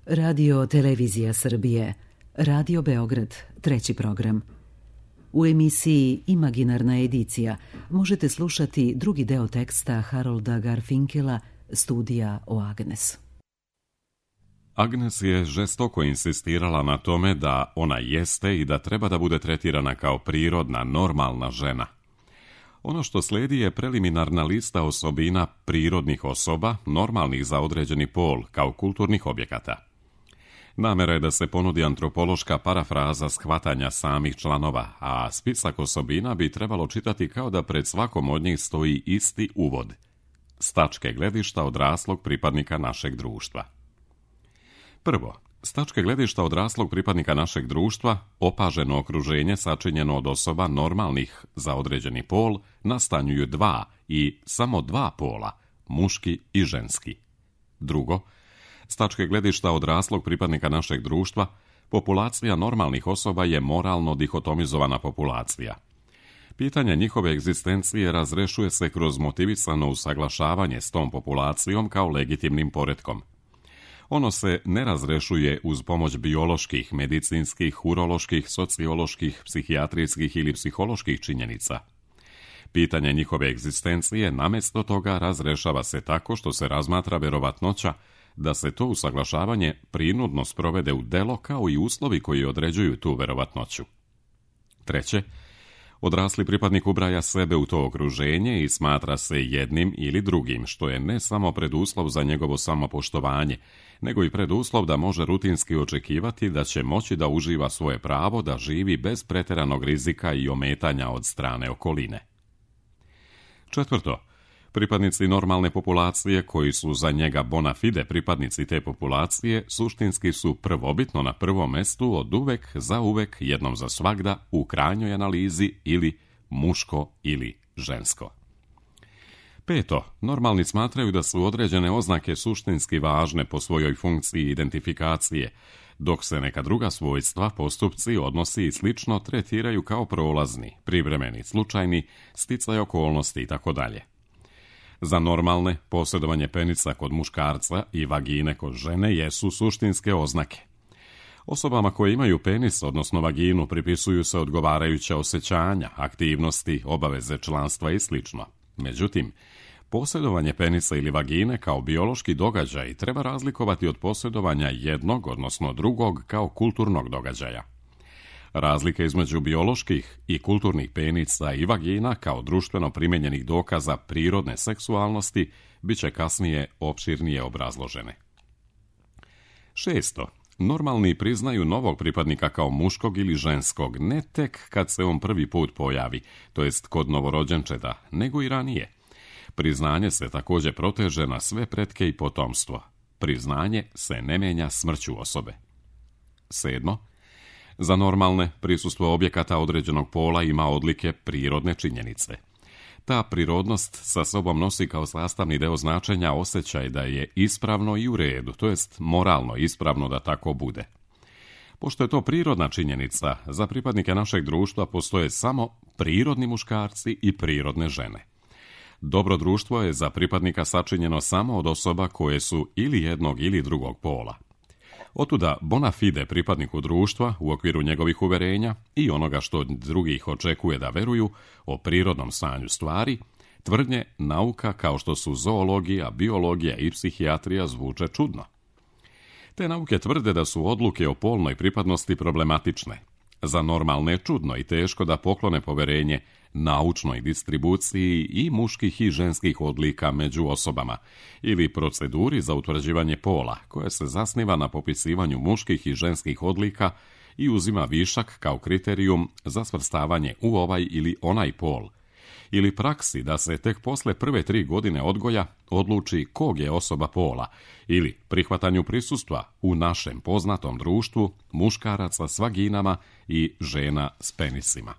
Radio Televizija Srbije, Radio Beograd, 3. program. U emisiji Imaginarna edicija možete slušati drugi deo teksta Harolda Garfinkela Studija o Agnes. Agnes je žestoko insistirala na tome da ona jeste i da treba da bude tretirana kao prirodna, normalna žena. Ono što slijedi je preliminarna lista osobina prirodnih osoba, normalnih za određeni pol, kao kulturnih objekata. Namera je da se ponudi antropološka parafraza shvatanja samih članova, a spisak osobina bi trebalo čitati kao da pred svakom od njih stoji isti uvod. S tačke gledišta odraslog pripadnika našeg društva. Prvo, s tačke gledišta odraslog pripadnika našeg društva, opaženo okruženje sačinjeno od osoba normalnih za određeni pol nastanjuju dva i samo dva pola, muški i ženski. Drugo, s tačke gledišta odraslog pripadnika našeg društva, populacija normalnih osoba je moralno dihotomizovana populacija. Pitanje njihove egzistencije razrešuje se kroz motivisano usaglašavanje s tom populacijom kao legitimnim poretkom. Ono se ne razrešuje uz pomoć bioloških, medicinskih, uroloških, socioloških, psihijatrijskih ili psiholoških činjenica. Pitanje njihove egzistencije namjesto toga razrešava se tako što se razmatra verovatnoća da se to usaglašavanje prinudno sprovede u delo kao i uslovi koji određuju tu verovatnoću. Treće, odrasli pripadnik ubraja sebe u to okruženje i smatra se jednim ili drugim, što je ne samo preduslov za njegovo samopoštovanje, nego i preduslov da može rutinski očekivati da će moći da uživa svoje pravo da živi bez pretjeranog rizika i ometanja od strane okoline. Četvrto, pripadnici normalne populacije koji su za njega bona fide pripadnici te populacije suštinski su prvobitno na prvom mestu od uvek za uvek jednom za svagda u krajnjoj analizi ili muško ili žensko. Peto, normalni smatraju da su određene oznake suštinski važne po svojoj funkciji identifikacije, dok se neka druga svojstva, postupci, odnosi i slično tretiraju kao prolazni, privremeni, slučajni, sticaj okolnosti itd. Za normalne, posjedovanje penisa kod muškarca i vagine kod žene jesu suštinske oznake. Osobama koje imaju penis, odnosno vaginu, pripisuju se odgovarajuća osjećanja, aktivnosti, obaveze članstva i sl. Međutim, posjedovanje penisa ili vagine kao biološki događaj treba razlikovati od posjedovanja jednog, odnosno drugog, kao kulturnog događaja. Razlike između bioloških i kulturnih penica i vagina kao društveno primjenjenih dokaza prirodne seksualnosti bit će kasnije opširnije obrazložene. Šesto, normalni priznaju novog pripadnika kao muškog ili ženskog ne tek kad se on prvi put pojavi, to jest kod novorođenčeta, nego i ranije. Priznanje se također proteže na sve pretke i potomstvo. Priznanje se ne mijenja smrću osobe. Sedmo, za normalne prisustvo objekata određenog pola ima odlike prirodne činjenice. Ta prirodnost sa sobom nosi kao sastavni deo značenja osjećaj da je ispravno i u redu, to jest moralno ispravno da tako bude. Pošto je to prirodna činjenica, za pripadnike našeg društva postoje samo prirodni muškarci i prirodne žene. Dobro društvo je za pripadnika sačinjeno samo od osoba koje su ili jednog ili drugog pola. Otuda bona fide pripadniku društva u okviru njegovih uverenja i onoga što od drugih očekuje da veruju o prirodnom stanju stvari, tvrdnje nauka kao što su zoologija, biologija i psihijatrija zvuče čudno. Te nauke tvrde da su odluke o polnoj pripadnosti problematične. Za normalne je čudno i teško da poklone poverenje naučnoj distribuciji i muških i ženskih odlika među osobama ili proceduri za utvrđivanje pola koja se zasniva na popisivanju muških i ženskih odlika i uzima višak kao kriterijum za svrstavanje u ovaj ili onaj pol, ili praksi da se tek posle prve 3 godine odgoja odluči kog je osoba pola ili prihvatanju prisustva u našem poznatom društvu muškaraca s vaginama i žena s penisima.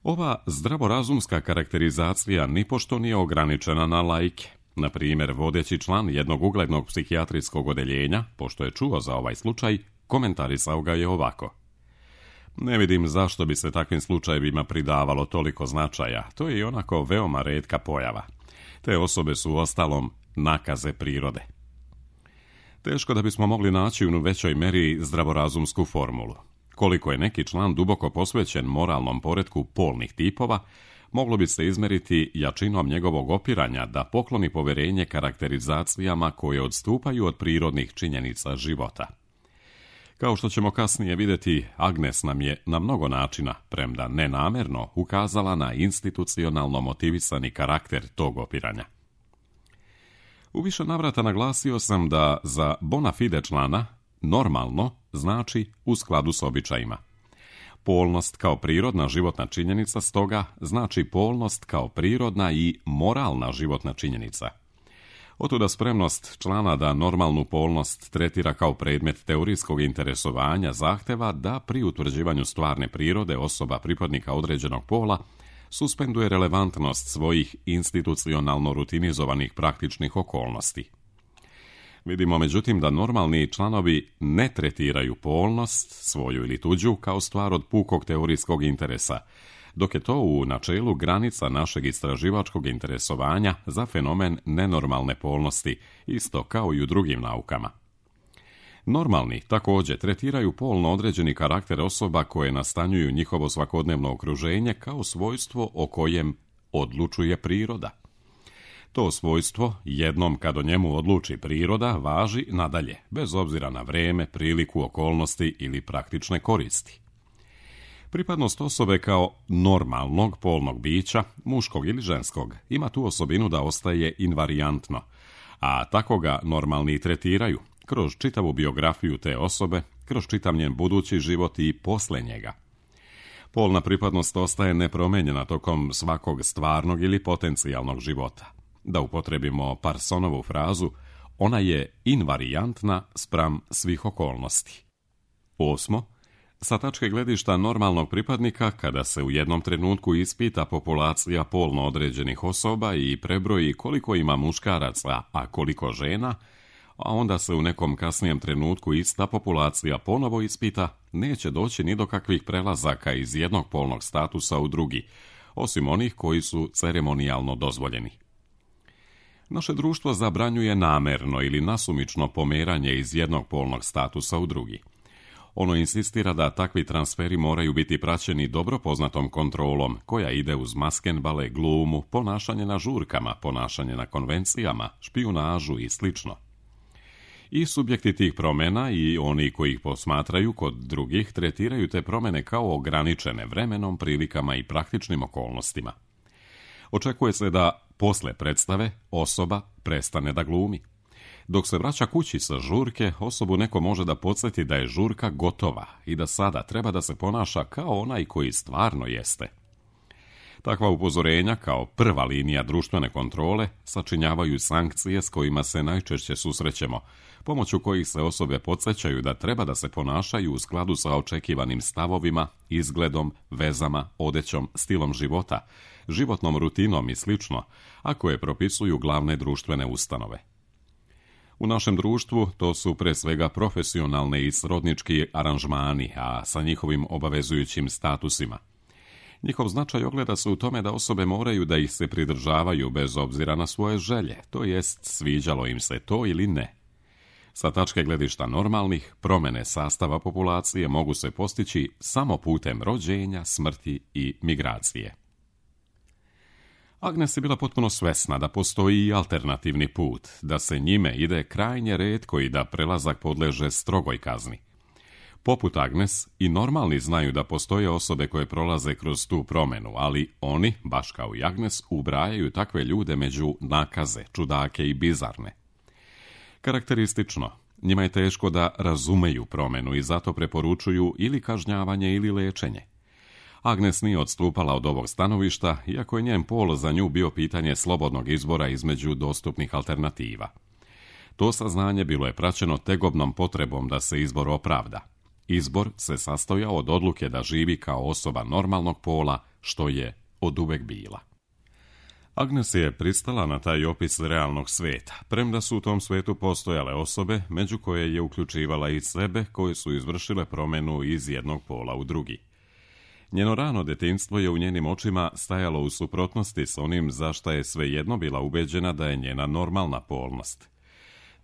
Ova zdravorazumska karakterizacija nipošto nije ograničena na laike. Na primjer, vodeći član jednog uglednog psihijatrijskog odeljenja, pošto je čuo za ovaj slučaj, komentarisao ga je ovako. Ne vidim zašto bi se takvim slučajevima pridavalo toliko značaja, to je i onako veoma retka pojava. Te osobe su uostalom nakaze prirode. Teško da bismo mogli naći u većoj meri zdravorazumsku formulu. Koliko je neki član duboko posvećen moralnom poretku polnih tipova, moglo bi se izmeriti jačinom njegovog opiranja da pokloni poverenje karakterizacijama koje odstupaju od prirodnih činjenica života. Kao što ćemo kasnije vidjeti, Agnes nam je na mnogo načina, premda nenamerno, ukazala na institucionalno motivisani karakter tog opiranja. U više navrata naglasio sam da za bona fide člana normalno znači u skladu s običajima. Polnost kao prirodna životna činjenica stoga znači polnost kao prirodna i moralna životna činjenica. Otuda spremnost člana da normalnu polnost tretira kao predmet teorijskog interesovanja zahteva da pri utvrđivanju stvarne prirode osoba pripadnika određenog pola suspenduje relevantnost svojih institucionalno rutinizovanih praktičnih okolnosti. Vidimo međutim da normalni članovi ne tretiraju polnost, svoju ili tuđu, kao stvar od pukog teorijskog interesa, dok je to u načelu granica našeg istraživačkog interesovanja za fenomen nenormalne polnosti, isto kao i u drugim naukama. Normalni također tretiraju polno određeni karakter osoba koje nastanjuju njihovo svakodnevno okruženje kao svojstvo o kojem odlučuje priroda. To svojstvo, jednom kad o njemu odluči priroda, važi nadalje, bez obzira na vrijeme, priliku, okolnosti ili praktične koristi. Pripadnost osobe kao normalnog polnog bića, muškog ili ženskog, ima tu osobinu da ostaje invarijantno, a tako ga normalni tretiraju, kroz čitavu biografiju te osobe, kroz čitav njen budući život i posle njega. Polna pripadnost ostaje nepromijenjena tokom svakog stvarnog ili potencijalnog života. Da upotrebimo Parsonovu frazu, ona je invarijantna spram svih okolnosti. 8. Sa tačke gledišta normalnog pripadnika, kada se u jednom trenutku ispita populacija polno određenih osoba i prebroji koliko ima muškaraca, a koliko žena, a onda se u nekom kasnijem trenutku ista populacija ponovo ispita, neće doći ni do kakvih prelazaka iz jednog polnog statusa u drugi, osim onih koji su ceremonijalno dozvoljeni. Naše društvo zabranjuje namerno ili nasumično pomeranje iz jednog polnog statusa u drugi. Ono insistira da takvi transferi moraju biti praćeni dobro poznatom kontrolom, koja ide uz maskenbale, glumu, ponašanje na žurkama, ponašanje na konvencijama, špijunažu i sl. I subjekti tih promjena i oni koji ih posmatraju kod drugih tretiraju te promjene kao ograničene vremenom, prilikama i praktičnim okolnostima. Očekuje se da posle predstave osoba prestane da glumi. Dok se vraća kući sa žurke, osobu neko može da podsjeti da je žurka gotova i da sada treba da se ponaša kao onaj koji stvarno jeste. Takva upozorenja, kao prva linija društvene kontrole, sačinjavaju sankcije s kojima se najčešće susrećemo, pomoću kojih se osobe podsjećaju da treba da se ponašaju u skladu sa očekivanim stavovima, izgledom, vezama, odećom, stilom života, životnom rutinom i sl., a koje propisuju glavne društvene ustanove. U našem društvu to su pre svega profesionalne i srodnički aranžmani, a sa njihovim obavezujućim statusima. Njihov značaj ogleda se u tome da osobe moraju da ih se pridržavaju bez obzira na svoje želje, to jest sviđalo im se to ili ne. Sa tačke gledišta normalnih, promjene sastava populacije mogu se postići samo putem rođenja, smrti i migracije. Agnes je bila potpuno svesna da postoji i alternativni put, da se njime ide krajnje retko i da prelazak podleže strogoj kazni. Poput Agnes, i normalni znaju da postoje osobe koje prolaze kroz tu promjenu, ali oni, baš kao i Agnes, ubrajaju takve ljude među nakaze, čudake i bizarne. Karakteristično, njima je teško da razumeju promjenu i zato preporučuju ili kažnjavanje ili lečenje. Agnes nije odstupala od ovog stanovišta, iako je njen pol za nju bio pitanje slobodnog izbora između dostupnih alternativa. To saznanje bilo je praćeno tegobnom potrebom da se izbor opravda. Izbor se sastojao od odluke da živi kao osoba normalnog pola, što je oduvek bila. Agnes je pristala na taj opis realnog sveta, premda su u tom svetu postojale osobe, među koje je uključivala i sebe, koje su izvršile promjenu iz jednog pola u drugi. Njeno rano detinjstvo je u njenim očima stajalo u suprotnosti s onim za šta je svejedno bila ubeđena da je njena normalna polnost.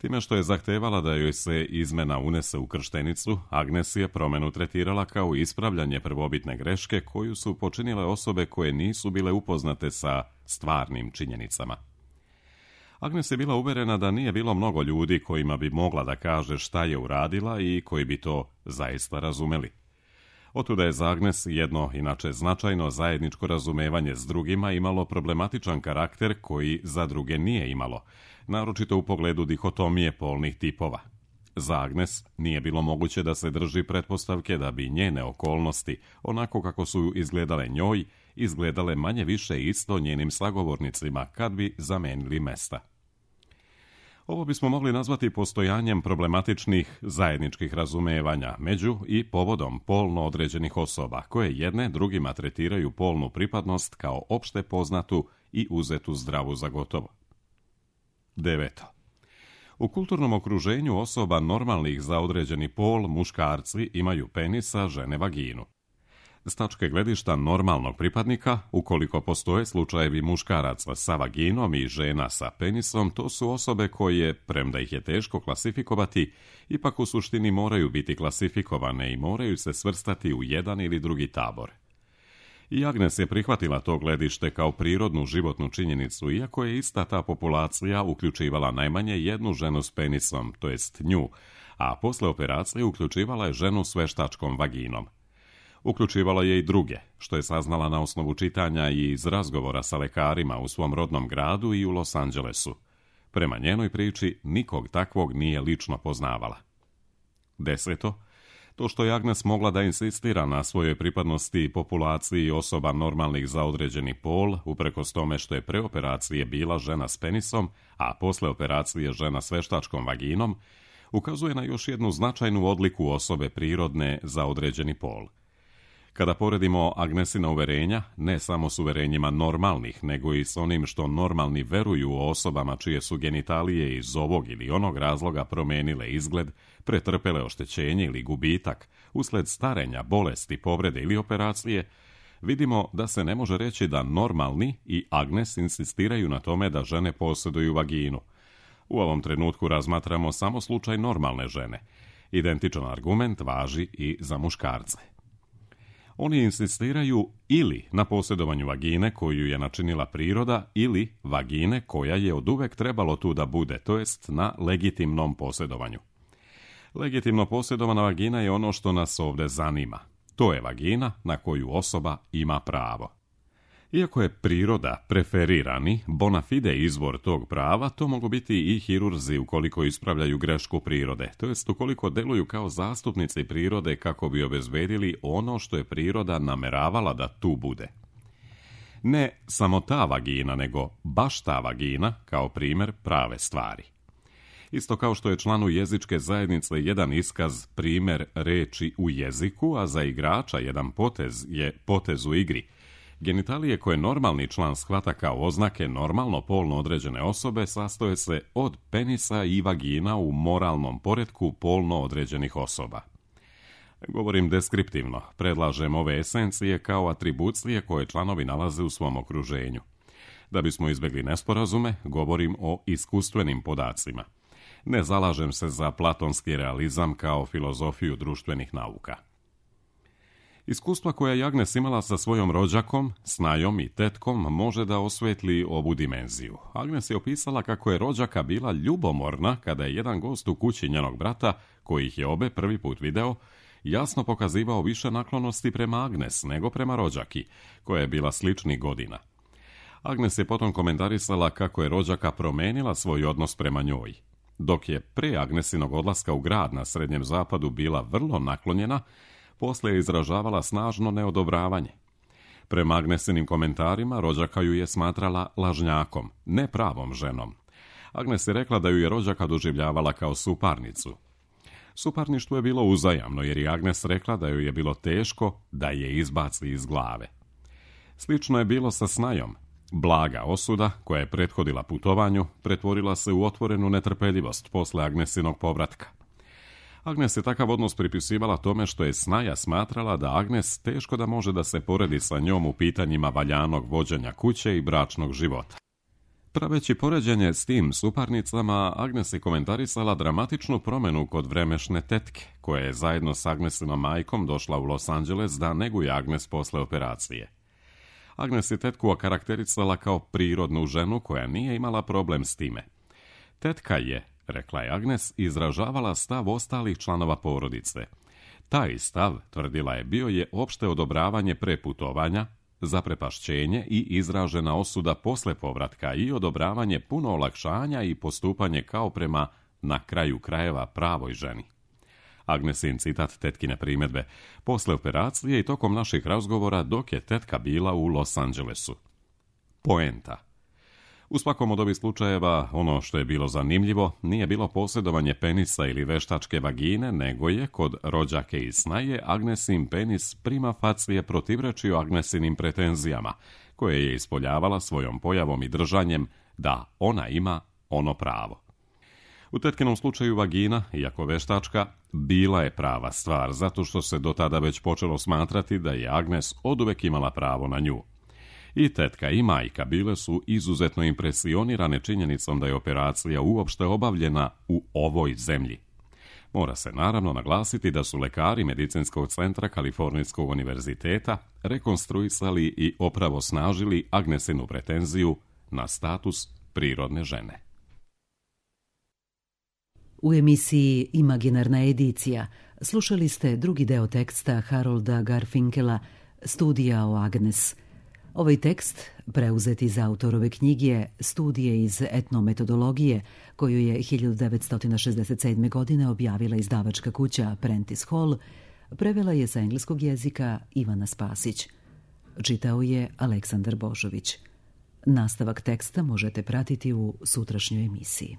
Time što je zahtevala da joj se izmena unese u krštenicu, Agnes je promjenu tretirala kao ispravljanje prvobitne greške koju su počinile osobe koje nisu bile upoznate sa stvarnim činjenicama. Agnes je bila uverena da nije bilo mnogo ljudi kojima bi mogla da kaže šta je uradila i koji bi to zaista razumeli. Otuda je za Agnes jedno, inače značajno zajedničko razumevanje s drugima imalo problematičan karakter koji za druge nije imalo, naročito u pogledu dihotomije polnih tipova. Za Agnes nije bilo moguće da se drži pretpostavke da bi njene okolnosti, onako kako su izgledale njoj, izgledale manje više isto njenim sagovornicima kad bi zamenili mesta. Ovo bismo mogli nazvati postojanjem problematičnih zajedničkih razumevanja među i povodom polno određenih osoba, koje jedne drugima tretiraju polnu pripadnost kao opšte poznatu i uzetu zdravu za gotovo. 9. U kulturnom okruženju osoba normalnih za određeni pol, muškarci imaju penisa, žene vaginu. S tačke gledišta normalnog pripadnika, ukoliko postoje slučajevi muškaraca sa vaginom i žena sa penisom, to su osobe koje, premda ih je teško klasifikovati, ipak u suštini moraju biti klasifikovane i moraju se svrstati u jedan ili drugi tabor. I Agnes je prihvatila to gledište kao prirodnu životnu činjenicu, iako je ista ta populacija uključivala najmanje jednu ženu s penisom, to jest nju, a posle operacije uključivala je ženu s veštačkom vaginom. Uključivala je i druge, što je saznala na osnovu čitanja i iz razgovora sa lekarima u svom rodnom gradu i u Los Angelesu. Prema njenoj priči, nikog takvog nije lično poznavala. 10. To što je Agnes mogla da insistira na svojoj pripadnosti populaciji osoba normalnih za određeni pol, uprkos tome što je pre operacije bila žena s penisom, a posle operacije žena s veštačkom vaginom, ukazuje na još jednu značajnu odliku osobe prirodne za određeni pol. Kada poredimo Agnesina uverenja, ne samo s uverenjima normalnih, nego i s onim što normalni veruju o osobama čije su genitalije iz ovog ili onog razloga promenile izgled, pretrpele oštećenje ili gubitak, usled starenja, bolesti, povrede ili operacije, vidimo da se ne može reći da normalni i Agnes insistiraju na tome da žene posjeduju vaginu. U ovom trenutku razmatramo samo slučaj normalne žene. Identičan argument važi i za muškarce. Oni insistiraju ili na posjedovanju vagine koju je načinila priroda ili vagine koja je oduvek trebalo tu da bude, to jest na legitimnom posjedovanju. Legitimno posjedovana vagina je ono što nas ovdje zanima. To je vagina na koju osoba ima pravo. Iako je priroda preferirani, bona fide izvor tog prava, to mogu biti i hirurzi ukoliko ispravljaju grešku prirode, to jest ukoliko deluju kao zastupnici prirode kako bi obezbedili ono što je priroda nameravala da tu bude. Ne samo ta vagina, nego baš ta vagina kao primjer prave stvari. Isto kao što je članu jezičke zajednice jedan iskaz primjer reči u jeziku, a za igrača jedan potez je potez u igri. Genitalije koje normalni član shvata kao oznake normalno polno određene osobe sastoje se od penisa i vagina u moralnom poretku polno određenih osoba. Govorim deskriptivno, predlažem ove esencije kao atribucije koje članovi nalaze u svom okruženju. Da bismo izbjegli nesporazume, govorim o iskustvenim podacima. Ne zalažem se za platonski realizam kao filozofiju društvenih nauka. Iskustva koja je Agnes imala sa svojom rođakom, snajom i tetkom može da osvetli ovu dimenziju. Agnes je opisala kako je rođaka bila ljubomorna kada je jedan gost u kući njenog brata, koji ih je obe prvi put video, jasno pokazivao više naklonosti prema Agnes nego prema rođaki, koja je bila sličnih godina. Agnes je potom komentarisala kako je rođaka promenila svoj odnos prema njoj. Dok je pre Agnesinog odlaska u grad na Srednjem zapadu bila vrlo naklonjena, poslije je izražavala snažno neodobravanje. Prema Agnesinim komentarima, rođaka ju je smatrala lažnjakom, ne pravom ženom. Agnes je rekla da ju je rođaka doživljavala kao suparnicu. Suparništvo je bilo uzajamno, jer je Agnes rekla da joj je bilo teško da je izbaci iz glave. Slično je bilo sa snajom. Blaga osuda, koja je prethodila putovanju, pretvorila se u otvorenu netrpeljivost posle Agnesinog povratka. Agnes je takav odnos pripisivala tome što je snaja smatrala da Agnes teško da može da se poredi sa njom u pitanjima valjanog vođenja kuće i bračnog života. Praveći poređenje s tim suparnicama, Agnes je komentarisala dramatičnu promjenu kod vremešne tetke, koja je zajedno s Agnesinom majkom došla u Los Angeles da neguje Agnes posle operacije. Agnes je tetku okarakterisala kao prirodnu ženu koja nije imala problem s time. Tetka je, rekla je Agnes, izražavala stav ostalih članova porodice. Taj stav, tvrdila je, bio je opšte odobravanje preputovanja, zaprepašćenje i izražena osuda posle povratka i odobravanje puno olakšanja i postupanje kao prema, na kraju krajeva, pravoj ženi. Agnesin citat tetkine primjedbe: posle operacije i tokom naših razgovora dok je tetka bila u Los Angelesu. Poenta. U svakom od ovih slučajeva ono što je bilo zanimljivo nije bilo posjedovanje penisa ili veštačke vagine, nego je kod rođake i snaje Agnesin penis prima facie protivrečio Agnesinim pretenzijama, koje je ispoljavala svojom pojavom i držanjem da ona ima ono pravo. U tetkinom slučaju vagina, iako veštačka, bila je prava stvar, zato što se do tada već počelo smatrati da je Agnes oduvek imala pravo na nju. I tetka i majka bile su izuzetno impresionirane činjenicom da je operacija uopšte obavljena u ovoj zemlji. Mora se naravno naglasiti da su lekari Medicinskog centra Kalifornijskog univerziteta rekonstruisali i opravosnažili Agnesinu pretenziju na status prirodne žene. U emisiji Imaginarna edicija slušali ste drugi deo teksta Harolda Garfinkela Studija o Agnes. Ovaj tekst, preuzet iz autorove knjige Studije iz etnometodologije, koju je 1967. godine objavila izdavačka kuća Prentice Hall, prevela je sa engleskog jezika Ivana Spasić. Čitao je Aleksandar Božović. Nastavak teksta možete pratiti u sutrašnjoj emisiji.